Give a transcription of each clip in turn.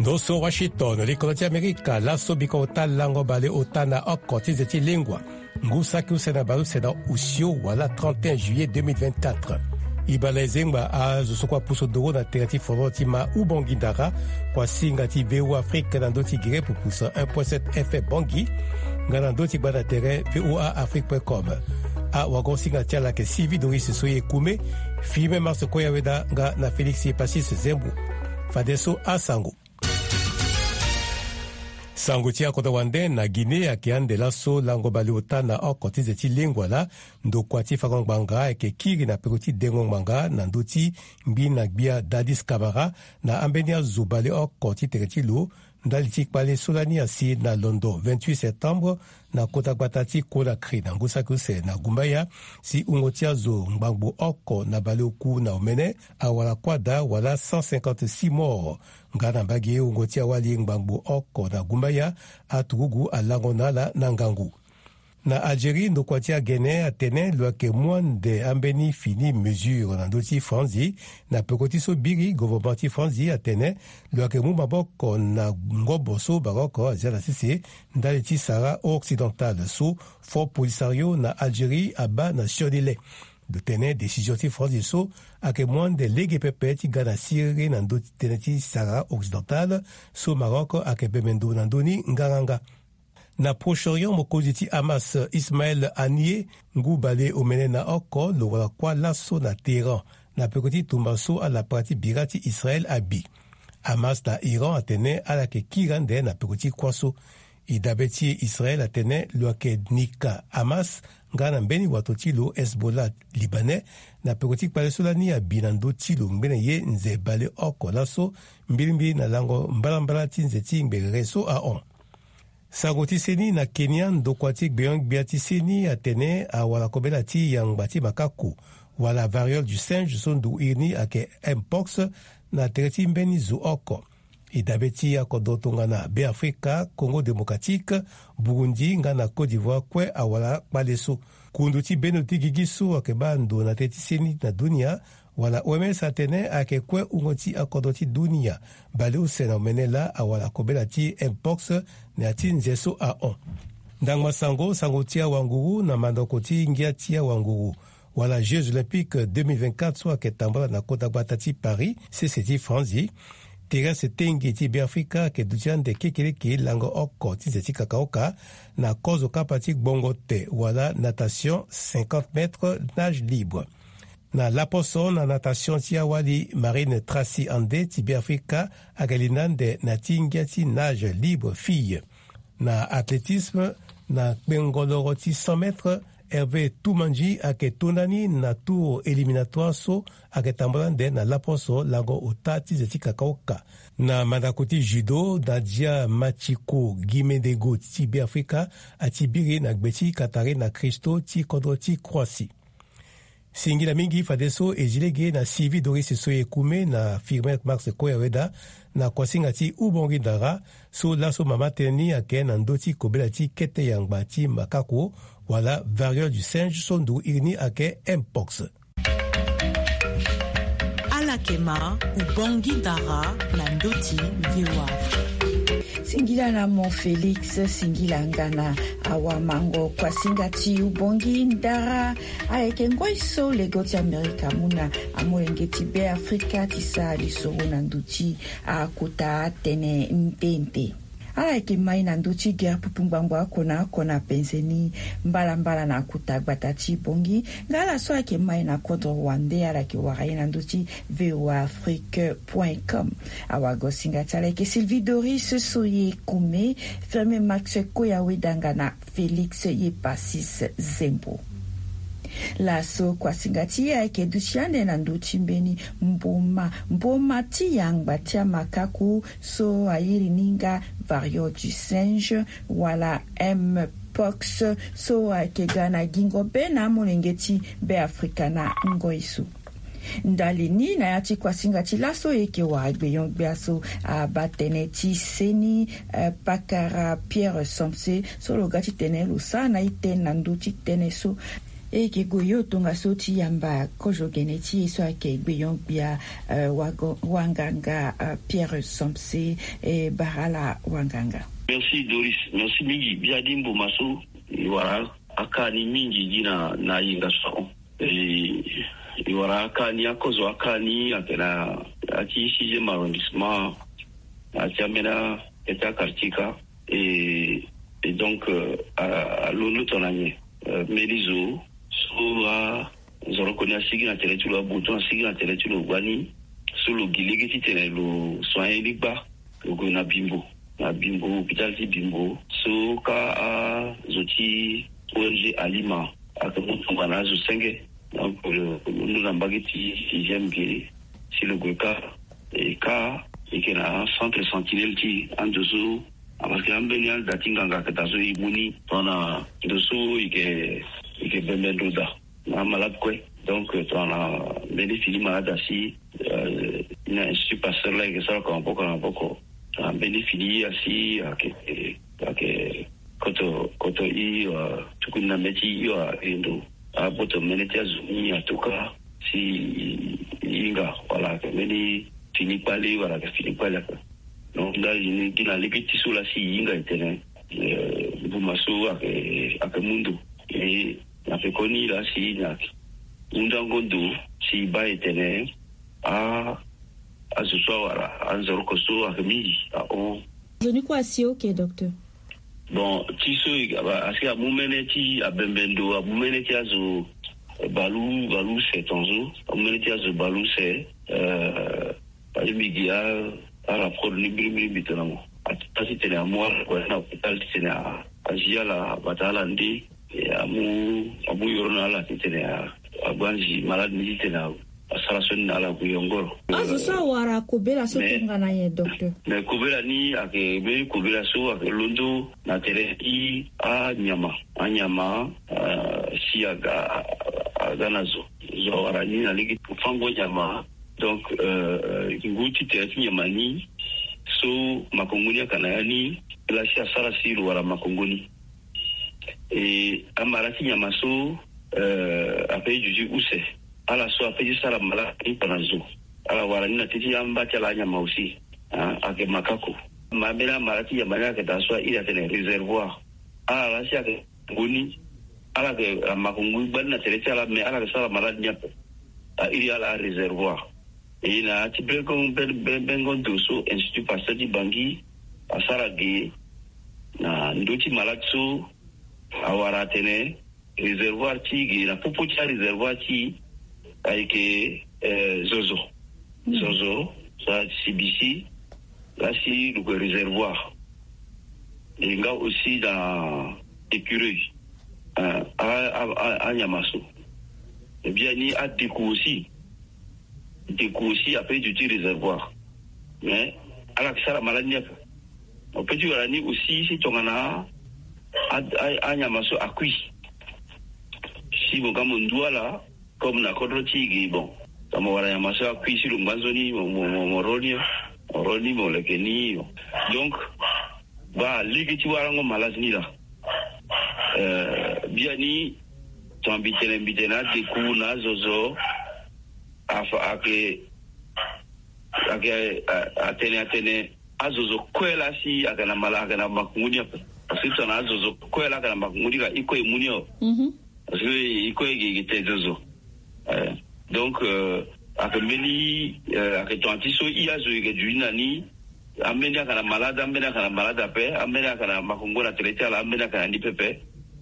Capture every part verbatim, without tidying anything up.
Ndo so Washington, likolo ti Amerika, laso biko ota lango baleota na oko ti nze ti lengua. Ngu saki use na baleuse na osio wala trente et un juillet deux mille vingt-quatre. Ibale zengba azo so kua puso doro na tere ti foro ti ma Ubangui Ndara, kua singa ti V O A Afrique na ndo ti gere pupus un point sept F M Bangui, nga na ndo ti gba na tere V O A Afrique point com. Awago singa ti ala ke Sylvie Doris Soye Koume, Firmin Mars Koya Weda nga na Félix Passis Zembo. Fadeso asango. Sango ti akodro wande na Guinée ayeke ande laso lango baleota na oko ti nze ti lengua laa, ndokua ti fango ngbanga ayeke kiri na peko ti dengo ngbanga na ndö ti ngbi na gbia Dadis Camara na ambeni azo baleoko ti tere ti lo, ndali ti kpale so lani asi na londo vingt-huit septembre, na kota gbata ti Conakry na ngu saki use na gumbaya, si wungo ti azo ngbangbo oko na baleoku na omene awara kuâ daa wala cent cinquante-six morts. Nga na mbage wungo ti awali ngbangbo oko na gumbaya, aturugu alango na ala na ngangu. Na Algérie, ndokua ti agene atene lo yeke mu ande ambeni fini mesure na ndö ti Franzi. Na peko ti so biri, gouvernement ti Franzi atene lo yeke mu maboko na ngobo so Maroc azia na sese ndali ti Sahara occidental so Front Polisario na Algérie abaa na sioni le. Lo tene décision ti Franzi so ayeke mu ande lege pepe ti ga na siriri na ndö ti tënë ti Sahara occidental so Maroc ayeke bembe ndo na ndö ni ngaranga. Na Proche-Orient, mokonzi ti Hamas, Ismaël Haniyeh, ngu baleomene na oko lo wara kuâ laso na Téhéran na peko ti tumba so alapara ti bira ti Israël abi. Hamas na Iran atene ala yeke kiri ande na peko ti kuâ so. E dabe ti e, Israël atene lo yeke nika Hamas nga na mbeni wato ti lo Hezbollah Libanais na peko ti kpale so lani abi na ndö ti lo ngbene ye nze baleoko laso, mbilimbili na lango mbalambala ti nze ti ngberere so ahon. Sango ti seni na Kenya, ndokua ti gbenyo-gbia ti seni atene awara kobela ti yangba ti makako wala variole du singe so nduku iri ni ayeke mpox na tere ti mbeni zo oko. E dabe ti akodro tongana Beafrika, Congo Démocratique, Burundi nga na Côte d'Ivoire kue awara kpale so. Kundu ti bendo ti gigi so ayeke baa ndo na tere ti seni na dunia wala O M S atene ayeke kue wungo ti akodro ti dunia baleuse na omene laa awara kobela ti mpox na ya ti nze so ahon. Ndangba sango, sango ti awanguru na mandoko ti ngia ti awanguru wala Jeux Olympiques deux mille vingt-quatre so ayeke tambula na kota gbata ti Paris, sese ti Franzi. Thérèse Tengue ti Beafrika ayeke duti ande kekeleke lango oko ti nze ti kakaoka na kozo kapa ti gbongo te wala natation cinquante mètres nage libre. Na laposo na natation ti awali, Marine Tracy Ande ti Beafrika ayeke linda ande na ti ngia ti nage libre fille. Na athlétisme, na kpengo loro ti cent mètres, Hervé Toumanji ayeke to ndani na tour éliminatoire so ayeke tambula ande na laposo lango ota ti nze ti kakaoka. Na mandako ti judo, Nadia Machiko Gimedego ti Beafrika ati biri na gbe ti Katarina Christo ti kodro ti Croatie. Singila mingi fadeso e zi lege na Sylvie Doris Soye Koume na Firmin Max Koyaweda na kuasinga ti Ubongi Ndara, so laso mama tënë ni ayeke na ndö ti kobela ti kete yangba ti makako wala variole du singe so nduku iri ni ayeke mpox. Ala yeke ma Ubongi Ndara na ndö ti V O A Afrique. Singila na mo Félix, singila nga na awamango kuasinga ti Ubongi Ndara. Ayeke ngoi so lego ti Amerika amu na amolenge ti Beafrika ti sara lisoro na ndö ti akota tënë nde nde. Ala yeke mai na ndö ti gere pupu ngbangbo oko na oko na penze ni mbalambala na kota gbata ti Bongi. Nga ala so ayeke mai na kodro wande, ala yeke wara ye na ndö ti V O A Afrique point com. Awagosinga ti ala yeke Sylvie Doris Soye Koume, Firmin Max Koya Wedanga na Félix Yepasis Zembo. Laso kuasinga ti e ayeke duti ande na ndö ti mbeni mboma, mboma ti yangba ti amakaku so a iri ni nga variole du singe wala mpox, so ayeke ga na gingo be na amolenge ti Beafrika na ngoi so. Ndali ni na ya ti kuasinga ti laso e yeke wara gbenyo-gbia so abaa tënë ti seni, eh, pakara Pierre Somse so lo ga titene lo sara na e tënë na ndö ti tënë so. E yeke gue yo tongaso ti yamba kozo gene ti e so ayeke gbeyon-gbia, eh, wago-, wanganga, eh, Pierre Somse, eh, bara ala wanganga. Merci Doris, merci mingi. Bia di mbo ma so e wara aka ni mingi gi na, na yenga so ahon. E, e wara aka ni, akozo aka ni ayeke na, ati sixième arrondissement, ati ambeni akete quartier ka. E, e donc, euh, a, alondo tongana nyen? Euh, mbeni zo so azoroko ni asigi na tere ti lo, abuton asigi na tere ti lo gbani, so lo gi lege titene lo soigner ni gba, lo gue na Bimbo, na Bimbo, hôpital ti Bimbo, so ka azo ti O N G Alima ayeke mu tongana azo senge. Donc, euh, lo londo na mbage ti sixième ge, si lo gue ka, e ka e yeke na centre sentinelle ti ando so, ah, parce que ambeni ada ti nganga ayeke daa so e mu ni tongana ndo so e yeke, e yeke bembe ndo daa na amalade kue. Donc, euh, tongana mbeni fini malade asi, euh, ni na Institut Pasteur laa e yeke sara oko na maboko na maboko. Tongana mbeni fini asi ayeke, ayeke koto, koto i, euh, tukuni na mê ti i, euh, e ndo. Aboto mene ti azo ni atuka si e hinga wala ayeke mbeni fini kpale wala ayeke fini kpale ape. Donc, ndali ni gi na lege ti so laa si e hinga e tene, eh, mbuma so ayeke, ayeke mu ndo. E na pekoni laa si e na hundango ndo si e baa e tene, a, azo so awara anzoroko so ayeke mingi ahon. Nzoni kue asi oke, docteur. Bon, ti so e, asi amu mene ti abembe ndo, amu mene ti azo, eh, bale, bale use tongaso, amu mene ti azo bale use, eh, Aye mbi gi a, a rapport ni mbirimbiri mbi tongana mo. A, a titene amu ala kue na hôpital titene a, a zi ala, a bata ala nde, e amu, amu yoro na ala titene a, a gbanzi malade ni titene a, a sara so ni na ala gue yongoro. Azo so awara kobela so tongana nyen, docteur? Mais kobela ni ayeke mbeni kobela so ayeke londo na tere ti anyama. Anyama, euh, si aga, aga na zo. Zo awara ni na lege ti fango nyama. Donc, euh, ngu ti tere ti nyama ni so makongo ni ayeke na ya ni, laa si asara si lo wara makongo ni. E amara ti nyama so, euh, ape ti duti use. Ala so ape ti sara malade ni tongana zo. Ala wara ni na teti amba ti ala anyama aussi. Hein, ayeke makako. Ma mbeni amara ti nyama ni ayeke daa so a iri atene réservoir. Ala laa si ayeke ngoni, ala yeke, a, makongo gbani na tere ti ala, mais ala yeke sara malade ni ape. A iri ala aréservoir. E na ya ti bengo, ben, ben, bengo ndo so Institut Pasteur ti Bangui asara ge na ndö ti malade so awara atene réservoir ti ge na popo ti aréservoir ti ayeke, eh, zozo. Zozo, so asibisi, laa si lo yeke réservoir. E nga aussi na écureuil, euh, a, a, a, anyama so. E biani adeku aussi. Deku aussi ape ti duti réservoir. Mais ala yeke sara malade ni ape. Mo peut ti wara ni aussi si tongana a, a, anyama so akui. Si mo ga mo ndu ala, comme na kodro ti e ge, bon, tongana mo wara nyama so akui si lo ngba nzoni, mo, mo, mo, mo ro ni, mo ro ni, mo leke ni. Donc, baa lege ti warango malade ni laa. Euh, biani, tongana mbi tene, mbi tene adeku na azozo, afa, ayeke, ayeke, a, atene, atene, azozo kue laa si ayeke na mala, ayeke na makongo ni ape. Parce que tongana azozo kue laa ayeke na makongo ni ka, e kue e mu ni awe. Mhm. Parce que e kue e ge, e ge te zozo. Eh, donc, euh, ayeke mbeni, euh, ayeke tongana ti so i azo e yeke duti na ni, ambeni ayeke na malade, ambeni ayeke na malade ape, ambeni ayeke na makongo na tere ti ala, ambeni ayeke na ni pepe.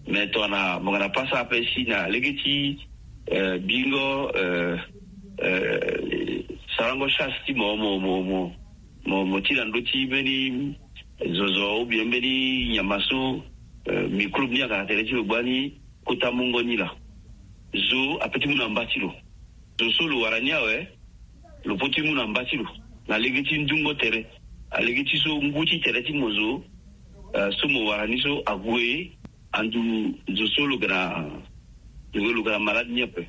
Mais tongana mo yeke na pasa ape si na lege ti, euh, bingo, euh, euh, sarango chasse ti mo, mo, mo, mo, mo, mo ti na ndö ti mbeni zozo ou bien mbeni nyama so, euh, microbe ni ayeke na tere ti lo gbani, kota mungo ni laa. Zo ape ti mu na mba ti lo. Zo so lo wara ni awe, lo peut ti mu na mba ti lo. Na lege ti ndungo tere. A lege ti so ngu ti tere ti mo zo, euh, so mo wara ni so ague, andu zo so lo yeke na, lo yeke na malade ni ape.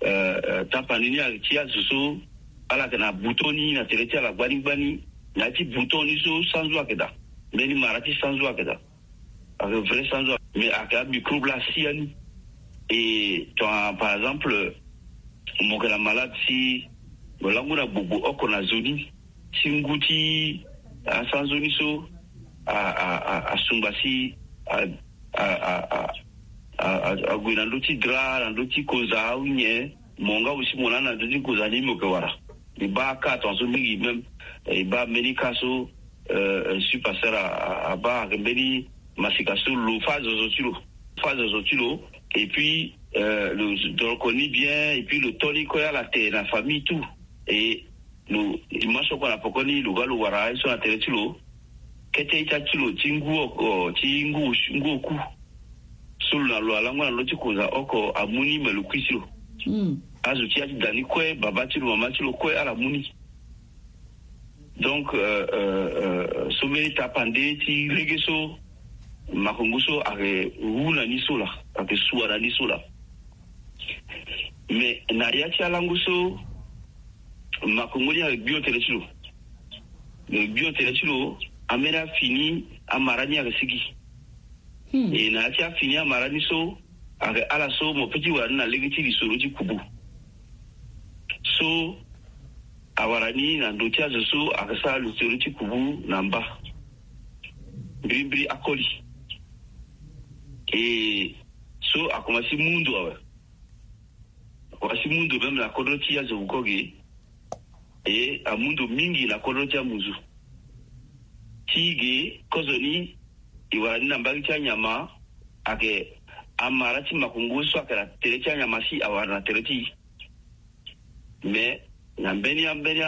Euh, euh, tapani ni ayeke ti azo so ala yeke na bouton ni na tere ti ala gbani gbani. Na ya ti bouton ni so sanzo ayeke daa. Mbeni mara ti sanzo ayeke daa. Ayeke vrai sanzo. Mais ayeke amicrobe laa asi ya ni. Et ton, par exemple, mo yeke na malade si mo langu na gbogbo oko na nzoni, ti ngu ti asanzoni so a, a, a, asungba si a, a, a, a, a, ague na ndö ti dra, na ndö ti konza awe nyen, mo nga aussi mo na na ndö ti konza ni mo yeke wara. E baa ka tongaso mingi même, e baa mbeni ka so, euh, euh, si pasteur a, a, abaa ayeke mbeni masika so lo fâ zozo ti lo, fâ zozo ti lo. Et puis, euh, lo doroko ni bien, et puis lo to ni kue ala te na famille tout. Et lo dimanche oko na pokoni lo ga lo wara aye so na tere ti lo. Kete ita ti lo ti ngu oko, ti ngu, ngu oku so lo na lo alango na lo ti konza oko amu ni me lo kui ti lo. Azo ti ya ti da ni kue, baba ti lo, mama ti lo kue ala mu ni. Donc, euh, euh, euh, so mbeni tapande ti lege so makongo so ayeke wu na ni so laa, ayeke sua na ni so laa. Mais na ya ti alango so makongo ni ayeke gbio tene ti lo. Gbio tene ti lo, ambeni afini amara ni ayeke sigi. E na ya ti afini amara ni so, ayeke ala so mo pe ti wara ni na lege ti lisoro ti kubu. So awara ni na ndo ti azo so ayeke sara lisoro ti kubu na mba. Mbirimbiri akoli. E so akomanse mu ndo awe. Akomanse mu ndo même na kodro ti azo wuko ge. E amu ndo mingi na kodro ti amuzu. Ti ge kozoni e wara ni na mbage ti anyama, ayeke amara ti makongo so ayeke na tere ti anyama si awara na tere ti e. Mais na mbeni ambeni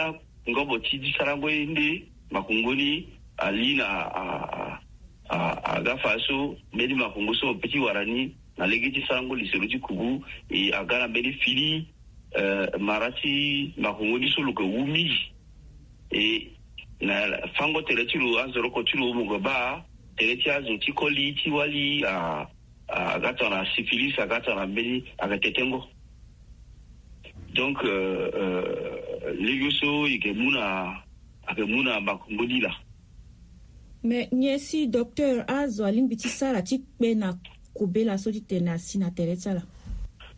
angobo ti sarango ye nde makongo ni ali na a, a, a, aga fa so mbeni makongo so mo pe ti wara ni na lege ti sarango lisoro ti kubu, e aga na mbeni fini, euh, mara ti makongo ni so lo yeke wu mingi. E na fango tere ti lo, azoroko ti lo mo yeke baa tere ti azo ti koli ti wali, a, a, aga tongana syphilis, aga tongana mbeni, ayeke tetengo. Donc, euh, euh, lege so e yeke mu na, ayeke mu na makongo ni laa. Mais nyen si docteur azo alingbi ti sara ti kpe na kobela so ti tene asi na tere ti ala?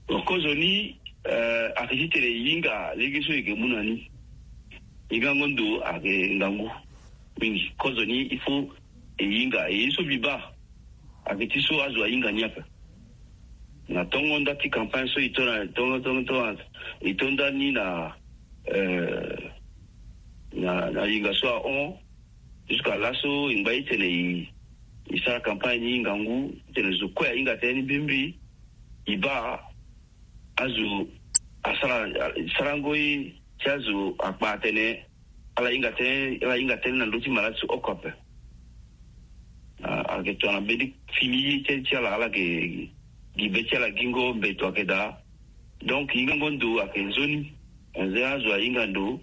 Bon, kozoni, euh, ayeke ti tene e hinga lege so e yeke mu na ni. Hingango ndo ayeke ngangu mingi. Kozoni il faut e hinga. E ye so mbi baa ayeke ti so azo ahinga ni ape. Na tongo nda ti campagne so e to na tongo, tongo, tongo, e to nda ni na, euh, na, na hinga so ahon. Jusqu'à laso e ngba e tene e, e sara campagne ni ngangu, e tene zo kue ahinga tënë ni mbirimbiri. E baa azo asara, sarango ye ti azo akpa atene ala hinga tënë, ala hinga tënë na ndö ti malade so oko ape. A, ayeke tongana mbeni fini ye ti, ti ala, ala yeke gi be ti ala gingo mbeto ayeke daa. Donc hingango ndo ayeke nzoni. Anze azo ahinga ndo.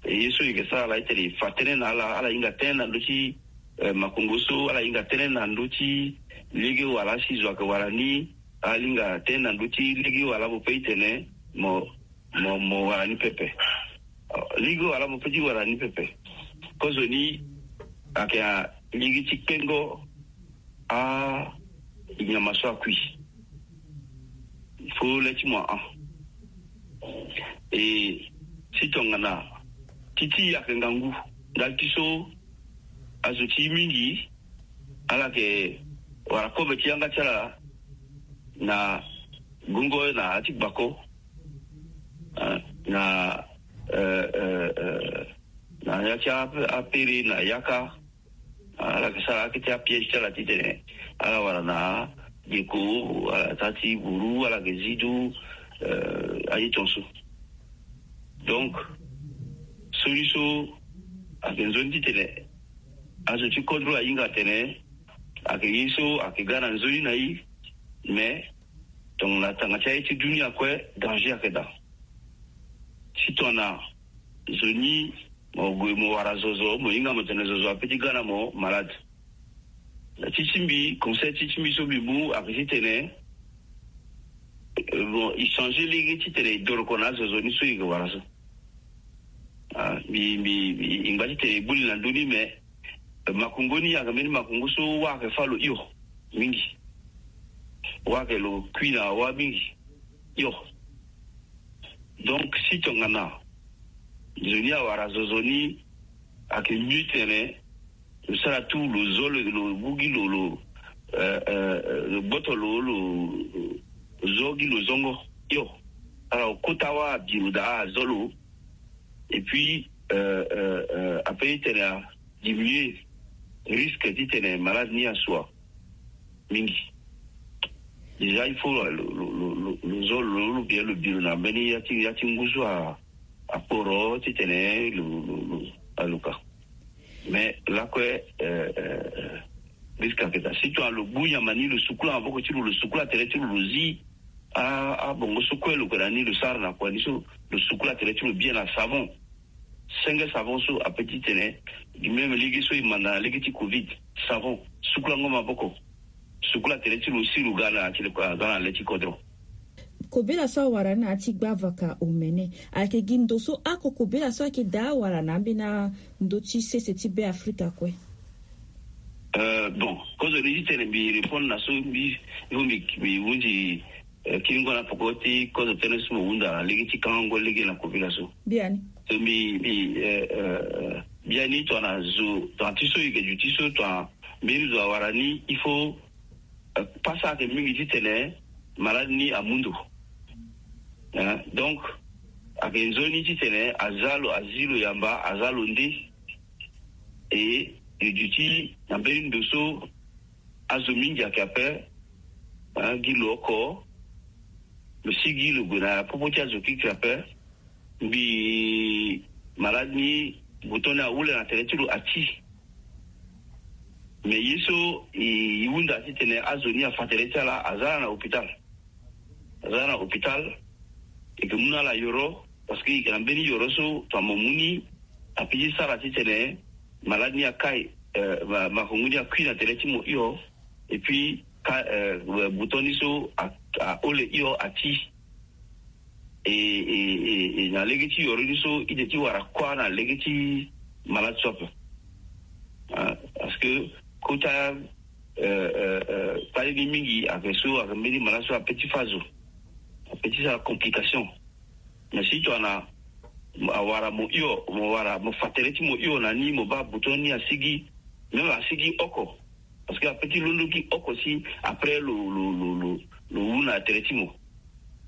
E ye so e yeke sara ala, e tene e fa tënë na ala, ala hinga tënë na ndö ti, eh, makongo so, ala hinga tënë na ndö ti lege wala si zo ayeke wara ni, ala hinga tënë na ndö ti lege wala mo pe e tene mo, mo, mo wara ni pepe. Lege wala mo pe ti wara ni pepe. Kozoni ayeke a lege ti kpengo a nyama so akui. Fo le ti mo ahon. E si tongana ti ti e ayeke ngangu ndali ti so azo ti e mingi ala yeke wara kobe ti yanga ti ala na gongo na ya ti gbako, ah, na, eh, eh, eh, na ya ti a, apere na yaka. Ah, ala yeke sara akete apiège ti ala titene ala wara na geko, ala ta ti buru, ala yeke zi du, eh, aye tongaso. Donc solution ayeke nzoni titene azo ti kodro ahinga atene ayeke ye so ayeke ga na nzoni na e. Mais tongana tanga ti aye ti dunia kue, danger ayeke daa. Si tongana zo ni mo gue mo wara zozo, mo hinga mo tene zozo ape ti ga na mo malade. Na ti ti mbi, conseil ti ti mbi so mbi mu ayeke titene, eh, bon, e changer lege titene e doroko na azozo ni so e yeke wara so. Ah, mbi, mbi, mbi, e ngba titene e gbu li na ndö ni, mais, eh, makongo ni ayeke mbeni makongo so wâ ayeke fâ lo hio mingi. Wa ke lo kui na wa mingi. Yo. Donc si tongana nzoni awara zozo ni, ake mieux tene lo sara tu lo zo lo bugi lo lo gboto lo lo zo gi lo zongo. Yo. Ala okota wa abiro da azo lo. Et puis après tene a diminuer risque ti tene malade ni asua mingi. Déjà il faut lo zo lo lo bien lo biro na mbeni ya ti ya ti nguzu a akporo ti tene lo lo lo aluka. Mais lakue risque aketa si tu alo gbu nyama ni lo sukula maboko ti lo lo sukula tere ti lo lo zi. Abongo so kue lo kue na ni lo sara na kua ni so lo sukula tere ti lo bien na savon. Senge savon so ape ti tene même lege so e manda na lege ti covid. Savon sukulango maboko. Sukula tere ti lo si lo ga na ya ti le kua aza na le ti kodro. Kobela so awara ni na ya ti gbavaka omene ayeke gi ndo so oko kobela so ayeke daa awara na ambeni ando ti sese ti be afrika kue. Bon kozo ni ti tene mbi répondre na so mbi mbi hunzi kiringo na poko ti kozo tënë so mo hunda na lege ti kangango lege na kobela so. Biani so mbi mbi biani tongana zo tongana ti so e ke duti so tongana mbeni zo awara ni il faut pasa ayeke mingi ti tene malade ni amu ndo. Donc ayeke nzoni ti tene aza lo azi lo yamba aza lo nde. E e duti na mbeni ndo so azo mingi ayeke ape gi lo oko. Lo si gi lo gue na popo ti azo kikiri ape. Mbi malade ni buton ni ahule na tere ti lo ati. Mais ye so e hunda titene azo ni afa tere ti ala aza na hôpital. Aza na hôpital. E ke mu na ala yoro parce que e ke na mbeni yoro so tongana mo mu ni ape ti sara titene malade ni akai. Makongo ni akui na tere ti mo hio. Et puis ka buton ni so ahole hio ati. E na lege ti yoro ni so ide ti wara kuâ na lege ti malade so ape. Parce que kota kpale ni mingi ayeke so ayeke mbeni malade so ape ti fâ zo. Ape ti sara complication. Mais si tongana awara mo hio mo wara mo fa tere ti mo hio na ni mo baa buton ni asigi. Même asigi oko. Parce que ape ti londo gi oko si après lo lo lo lo lo wu na tere ti mo.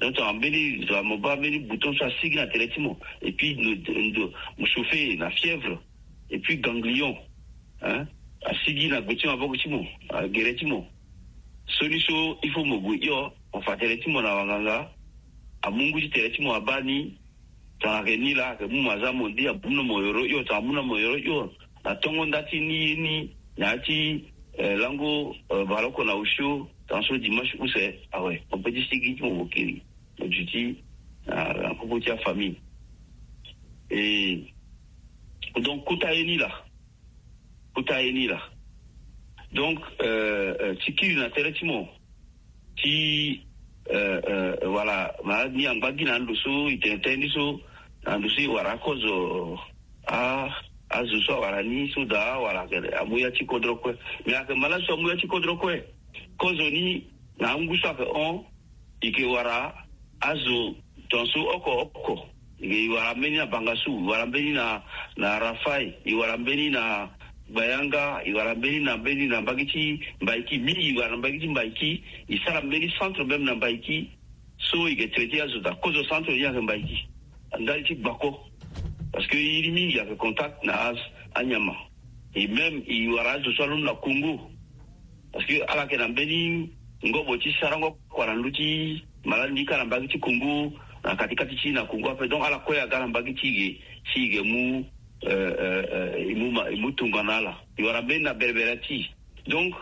Donc tongana mbeni zo mo baa mbeni buton so asigi na tere ti mo. Et puis ndo mo chauffer na fièvre. Et puis ganglion. Asigi na gbe ti maboko ti mo. Agere ti mo. Soni so il faut mo gue hio mo fa tere ti mo na wanganga. Amu ngu ti tere ti mo abaa ni. Tongana ayeke ni laa ayeke mu mo aza mo ndi amu na mo yoro hio tongana amu na mo yoro hio. Na tongo nda ti ni ye ni na ya ti lango baleoko na osio tongana so dimanche use awe mo pe ti sigi ti mo mo kiri. Mo duti na popo ti afamille. E donc kota ye ni laa. Kota ye ni laa. Donc ti kiri na tere ti mo ti wala malade ni angba gi na ndo so e tene tënë ni so na ndo so e wara akozo. Azo so awara ni so daa wala ayeke amu ya ti kodro kue. Mais ayeke malade so amu ya ti kodro kue. Kozo ni na angu so ayeke hon. E ke wara azo tongaso oko oko. E wara mbeni na bangasu e wara mbeni na na rafai e wara mbeni na gbayanga e wara mbeni na mbeni na mbage ti mbaiki mingi e wara na mbage ti mbaiki. E sara mbeni centre même na mbaiki so e ke traiter azo daa kozo centre ni ayeke mbaiki. Ndali ti gbako parce que iri mingi ayeke contact na anyama. E même e wara azo so alondo na Congo. Parce que ala yeke na mbeni ngobo ti sarango kua na ndö ti malade ni kâ na mbage ti Congo na katikati ti na Congo ape donc ala kue aga na mbage ti e ge si e ge mu e mu ma e mu tongana ala. E wara mbeni na berebere ti e. Donc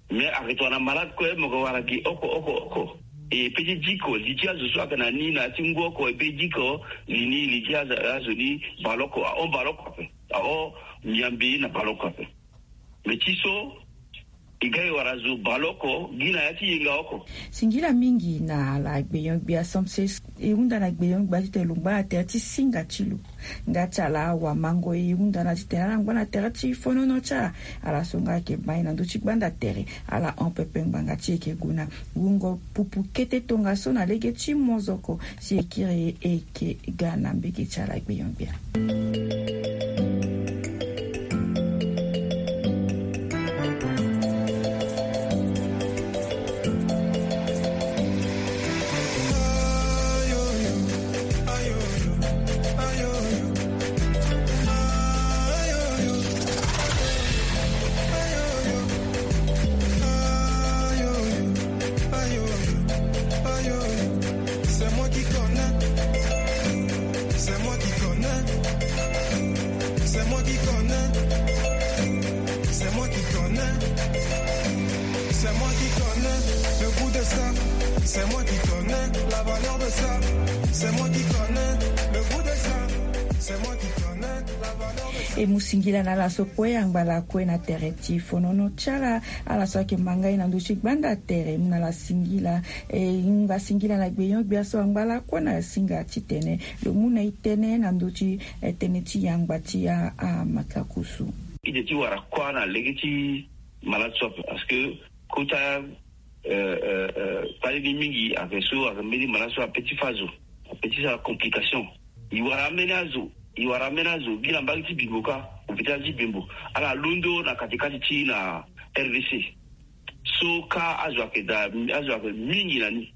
mais ayeke tongana malade kue mo yeke wara gi oko oko oko. E pe ti diko li ti azo so ayeke na ni na ya ti ngu oko e pe diko li ni li ti azo ni baleoko ahon baleoko ape. Ahon miambe na baleoko ape. Mais ti so E ga e wara zo baleoko gi na ya ti yenga oko. Singila mingi na ala gbenyo-gbia. Samse e hunda na gbenyo-gbia titene lo ngba na tere ti singa ti lo. Nga ti ala awamango e hunda na titene ala ngba na tere ti fonono ti ala. Ala so nga ayeke mai na ndö ti gbanda tere, ala hon pepe ngbanga ti e yeke gue na wungo pupu kete tongaso na lege ti mozoko. Si e kiri e yeke ga na mbege ti ala gbenyo-gbia. C'est moi qui connais. C'est moi qui connais. C'est moi qui connais. C'est moi qui connais. C'est moi qui connais le goût de ça. C'est moi qui connais la valeur de ça. C'est moi qui connais le goût de ça. C'est moi qui connais la valeur de ça. E mu singila na ala so kue angba lakue na tere ti fonono ti ala. Ala so ayeke ma ngai na ndö ti gbanda tere, mu na ala singila. E hinga singila na gbenyo-gbia so angba lakue na singa titene lo mu na e tënë na ndö ti, eh, tënë ti yangba ti a, amakakusu. Ide ti wara kuâ na lege ti malade so ape parce que kota, eh, eh, eh, kpale ni mingi ayeke so ayeke mbeni malade so ape ti fâ zo, ape ti sara complication. E wara ambeni azo, e wara ambeni azo gi na mbage ti Bimbo kâ, hôpital ti Bimbo. Ala londo na katikati ti na R D C. So kâ azo ayeke daa, azo ayeke mingi na ni.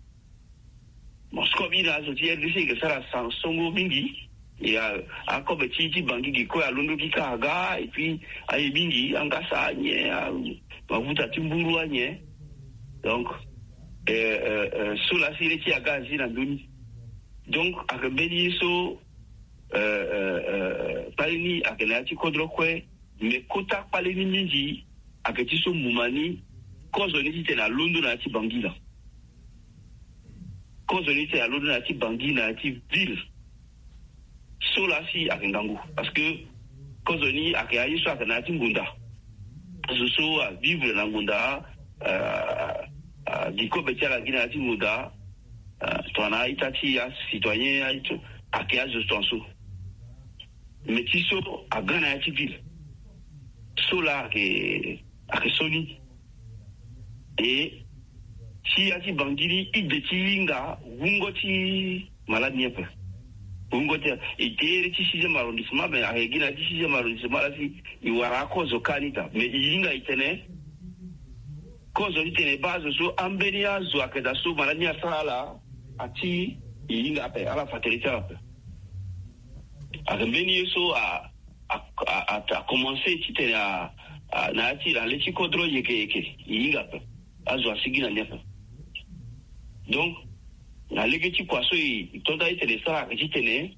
Bon, sikoyo mbi na azo ti R D C e yeke sara san songo mingi. E a, akobe ti, ti Bangui ge kue alondo gi kâ aga, et puis aye mingi, angasa, anyen, a, mafuta ti mburu, anyen. Donc, eh, eh, eh, so laa si ye ti aga azi na ndö ni. Donc, ayeke mbeni ye so, eh, eh, eh, kpale ni ayeke na ya ti kodro kue, mais kota kpale ni mingi ayeke ti so muma ni, kozo ni titene alondo na ya ti Bangui laa. Kozo ni titene alondo na ya ti Bangui, na ya ti ville. So laa si ayeke ngangu. Parce que kozo ni ayeke aye so ayeke na ya ti ngonda. Azo so avivre na ngonda, ah, ah, gi kobe ti ala gi na ya ti ngonda, ah, tongana a-ita ti acitoyen, a-ita, ayeke azo tongaso. Mais ti so aga na ya ti ville. So laa ayeke, ayeke so ni. E ti ya ti Bangui ni, ide ti hinga wungo ti malade ni ape. Wungo ti, e tere ti sixième arrondissement, mais ayeke gi na ya ti sixième arrondissement laa si e wara akozo kâ ni daa. Mais e hinga e tene kozo ti tene e baa azo so ambeni azo ayeke daa so malade ni asara ala, ati e hinga ape, ala fa tere ti ala ape. Ayeke mbeni ye so a, a, a, a, a commencé titene a, a, na ya ti na le ti kodro yeke yeke, e hinga ape. Azo asigi na ni ape. Donc, na lege ti kua so e, e to nda titene e sara ayeke titene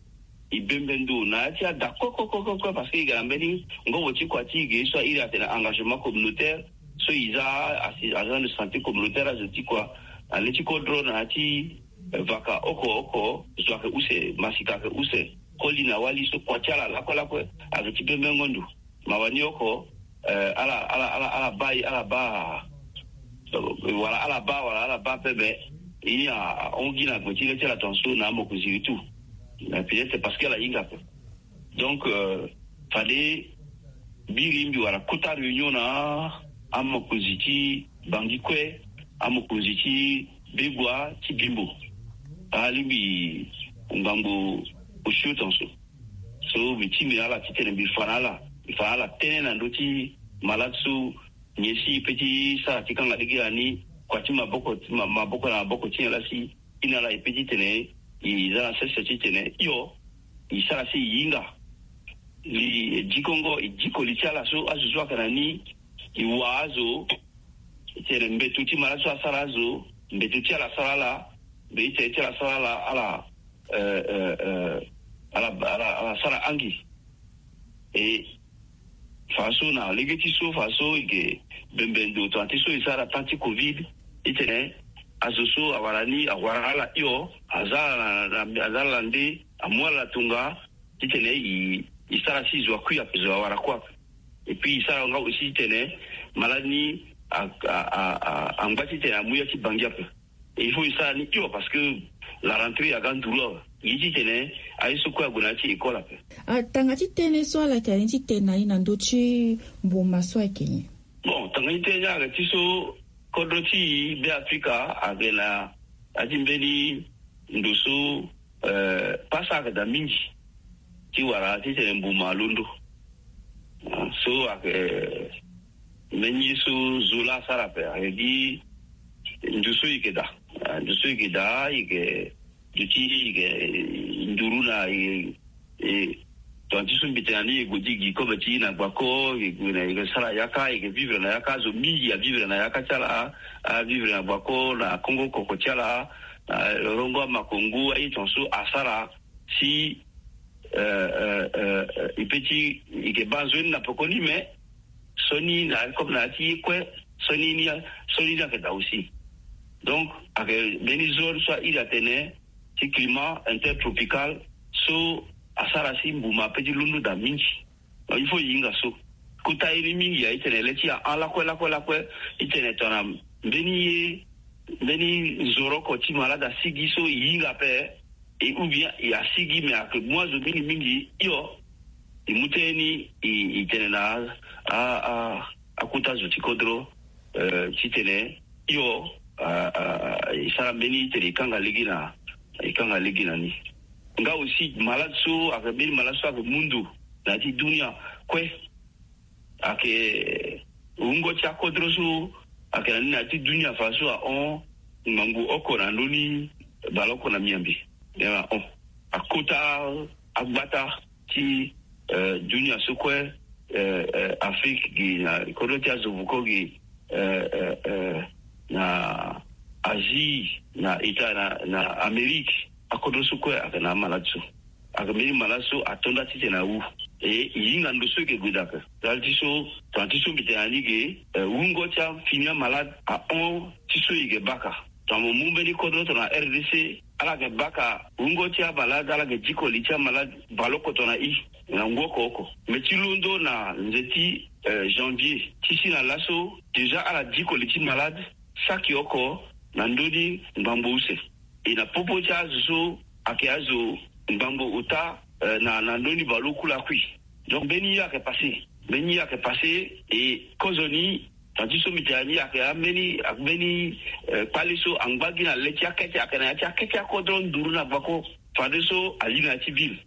e bembe ndo na ya ti ada kue, kue, kue, kue, kue, parce que e ga na mbeni ngobo ti kua ti e ge so a iri atene engagement communautaire, so e za asi-, agent de santé communautaire, azo ti kua, na le ti kodro na ya ti, eh, vaka oko oko, zo ayeke use, masika ayeke use, koli na wali so kua ti ala lakue lakue ayeke ti bembengo ndo. Mawa ni oko, eh, ala, ala, ala, ala baa, ala baa, eh, wala ala baa, wala ala baa pepe. Ye ni a, a hon gi na gbe ti le ti ala tongaso na amokonzi ti tout. Mais peut-être parce que ala hinga ape. Donc, euh, fade biri mbi wara kota réunion na amokonzi ti Bangui kue, amokonzi ti Begoua, ti Bimbo. Alingbi ngbangbo osio tongaso. So mbi tingbi na ala titene mbi fa na ala, mbi fa na ala tënë na ndö ti malade so nyen si e peut ti sara ti kanga lege na ni, kua ti maboko, ma-, maboko na maboko ti nyen laa si e na ala e peut titene e za na sese titene hio, e sara si e hinga. Li, e dikongo, e diko li ti ala so azo so ayeke na ni, e wa azo, titene mbeto ti malade so asara azo, mbeto ti ala asara ala, mbeto ti ala asara ala, ala, eh, eh, eh, ala, ala, ala sara angi. E fa so na lege ti so, fa so e ke bembe ndo tongana ti so e sara temps ti covid, titene azo so awara ni, awara ala hio, aza ala na, na, aza ala na nde, amu ala na tonga, titene e, e sara si zo akui ape, zo awara kue ape. Et puis e sara nga aussi titene malade ni angba titene amu ya ti bangi ape. Il faut e sara ni hio parce que la rentrée aga nduru awe. Gi titene aye so kue ague na ya ti école ape. Atanga ti tënë so ala yeke na ni titene na ni na ndö ti mbuma so ayeke nyen? Bon, tanga ti tënë ni ayeke ti so kodro ti e Be Afrika ayeke na ya ti mbeni ndo so pasa ayeke daa mingi ti wara titene mbuma alondo. So ayeke mbeni ye so zo laa asara ape ayeke gi ndu so e yeke daa. Ndu so e yeke daa e yeke duti e yeke nduru na e. Tongana ti so mbi tene na ni e gue ti gi kobe ti e na gbako e gue na e yeke sara yaka e yeke vivre na yaka. Zo mingi avivre na yaka ti ala. Avivre na gbako na kongo koko ti ala na rongo amakongo aye tongaso asara si e pe ti e yeke baa nzoni na pekoni me so ni na comme na ya ti ye kue so ni ni so ni ni ayeke daa aussi. Donc ayeke mbeni zone so airi atene ti climat intertropical so asara si mbuma ape ti londo daa mingi. Il faut e hinga so kota ye ni mingi aye titene le ti ahon lakue lakue lakue titene tongana mbeni ye mbeni nzoroko ti malade asigi so e hinga ape. E ou bien e asigi me ayeke mu azo mingi mingi hio. E mu tënë ni e tene na akota zo ti kodro titene hio e sara mbeni titene e kanga lege na e kanga lege na ni. Nga aussi malade so ayeke mbeni malade so ayeke mu ndo na ya ti dunia kue. Ayeke wungo ti akodro so ayeke na ni na ya ti dunia fadeso ahon ngangu oko na ndö ni baleoko na miambi. Ahon akota agbata ti dunia so kue. Afrique gi na kodro ti azo vuko gi na Asie na ita na Amérique. Akodro so kue ayeke na amalade so ayeke mbeni malade so ato nda titene awu. E e hinga ndo so e yeke gue daa ape. Ndali ti so tongana ti so mbi tene na ni ge wungo ti afini amalade ahon ti so e yeke baka. Tongana mo mu mbeni kodro tongana rdc ala yeke baka wungo ti amalade ala yeke diko li ti amalade baleoko tongana i na ngu oko oko. Me ti londo na nze ti janvier ti si na laso déjà ala diko li ti malade saki oko na ndö ni ngbangbo use. E na popo ti azo so ayeke azo ngbangbo ota na ndö ni baleoku lakui. Donc mbeni ye ayeke passe mbeni ye ayeke passe. E kozoni tongana ti so mbi tene na ni ayeke ambeni ayeke mbeni kpale so angba gi na le ti akete ayeke na ya ti akete akodro nduru na gbako. Fadeso ali na ya ti ville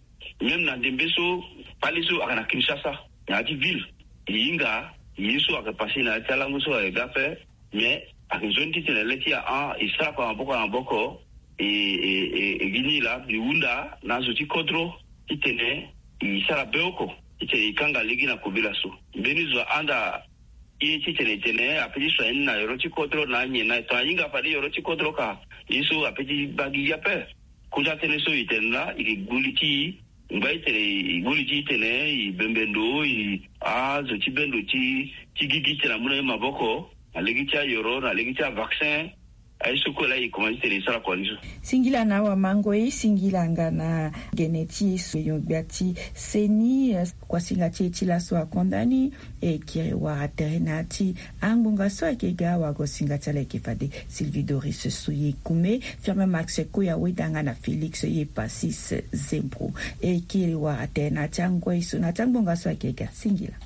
même na ndembe so kpale so ayeke na Kinshasa na ya ti ville. E hinga ye so ayeke passe na ya ti alango so ayeke ga ape. Mais ayeke nzoni titene le ti ahon e sara kua na maboko na maboko. E e e gi ni laa mbi hunda na azo ti kodro titene e sara beoko titene e kanga lege na kobela so. Mbeni zo ahanda ye titene e tene ape ti soigner ni na yoro ti kodro na anyen na e tongana e hinga fade yoro ti kodro ka ye so ape ti baa gi gi ape. Kota tënë so e tene laa e yeke gbu li ti e ngba e tene e gbu li ti e tene e bembe ndo e azo ti be ndo ti ti gigi titene amu na e maboko na lege ti ayoro na lege ti avaccin. Aye so kue laa e komanse titene e sara kua ni so. Singila na awamango e singila nga na gene ti e so e yongbia ti seni. Kuasinga ti e ti laso akonda ni. E kiri wara tere na ya ti angbonga so ayeke ga wagosinga ti ala ayeke fade Sylvie Doris Soye Kume, Firmin Max Koya Wedanga na Félix Ye Passis Zembro. E kiri wara tere na ya ti angoi so na ya ti angbonga so ayeke ga singila.